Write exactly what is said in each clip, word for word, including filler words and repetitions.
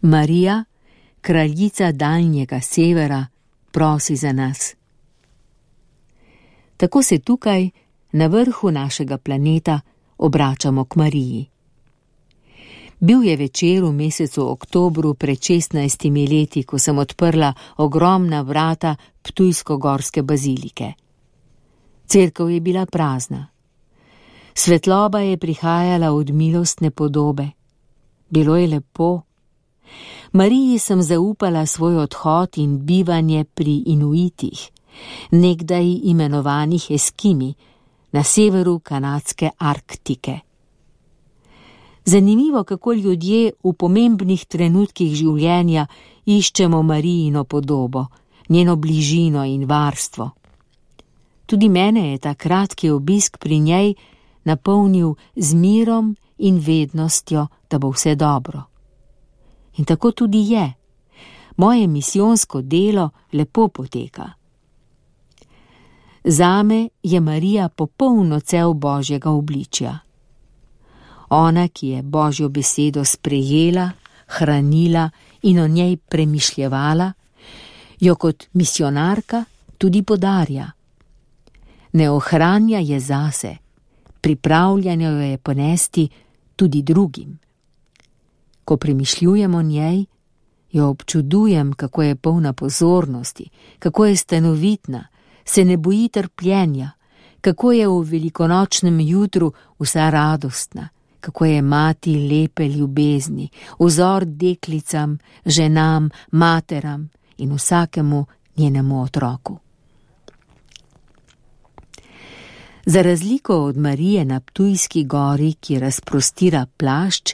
Marija, kraljica daljnjega severa, prosi za nas. Tako se tukaj, na vrhu našega planeta, obračamo k Mariji. Bil je večer v mesecu oktobru pred šestnajstimi leti, ko sem odprla ogromna vrata ptujsko-gorske bazilike. Cerkev je bila prazna. Svetloba je prihajala od milostne podobe. Bilo je lepo. Mariji sem zaupala svoj odhod in bivanje pri Inuitih, nekdaj imenovanih Eskimi, na severu kanadske Arktike. Zanimivo, kako ljudje v pomembnih trenutkih življenja iščemo Marijino podobo, njeno bližino in varstvo. Tudi mene je ta kratki obisk pri njej napolnil z mirom in vednostjo, da bo vse dobro. In tako tudi je. Moje misijonsko delo lepo poteka. Zame je Marija popoln odsev Božjega obličja. Ona, ki je Božjo besedo sprejela, hranila in o njej premišljevala, jo kot misionarka tudi podarja. Ne ohranja je zase, pripravljanja jo je ponesti tudi drugim. Ko premišljujem o njej, jo občudujem, kako je polna pozornosti, kako je stanovitna, se ne boji trpljenja, kako je v velikonočnem jutru vsa radostna, kako je mati lepe ljubezni, vzor deklicam, ženam, materam in vsakemu njenemu otroku. Za razliko od Marije na Ptujski gori, ki razprostira plašč,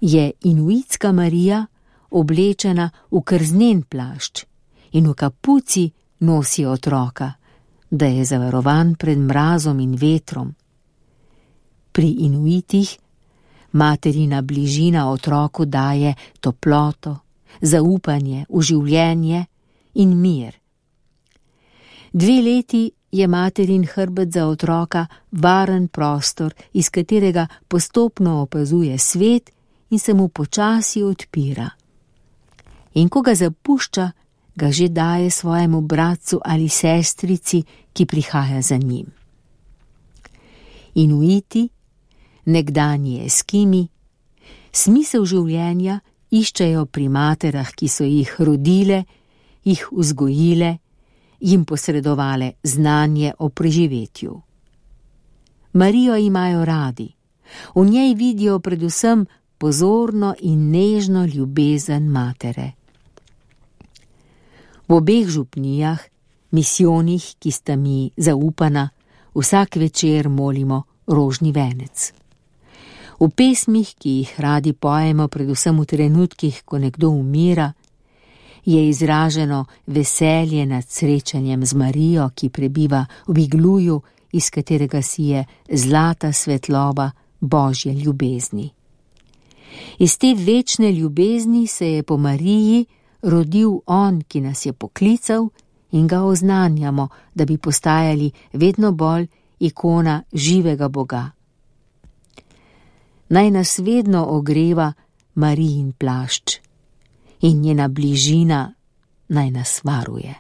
je inuitska Marija oblečena v krznen plašč in v kapuci nosi otroka, da je zavarovan pred mrazom in vetrom. Pri Inuitih materina bližina otroku daje toploto, zaupanje v življenje in mir. Dve leti je materin hrbet za otroka varen prostor, iz katerega postopno opazuje svet in se mu počasi odpira. In ko ga zapušča, ga že daje svojemu bratcu ali sestrici, ki prihaja za njim. Inuiti, nekdanji Eskimi, smisel življenja iščejo pri materah, ki so jih rodile, jih vzgojile, jim posredovale znanje o preživetju. Marijo imajo radi, v njej vidijo predvsem pozorno in nežno ljubezen matere. V obeh župnijah, misijonih, ki sta mi zaupana, vsak večer molimo rožni venec. V pesmih, ki jih radi pojemo predvsem v trenutkih, ko nekdo umira, je izraženo veselje nad srečanjem z Marijo, ki prebiva v igluju, iz katerega si je zlata svetloba Božje ljubezni. Iz te večne ljubezni se je po Mariji rodil on, ki nas je poklical in ga oznanjamo, da bi postajali vedno bolj ikona živega Boga. Naj nas vedno ogreva Marijin plašč in njena bližina naj nas varuje.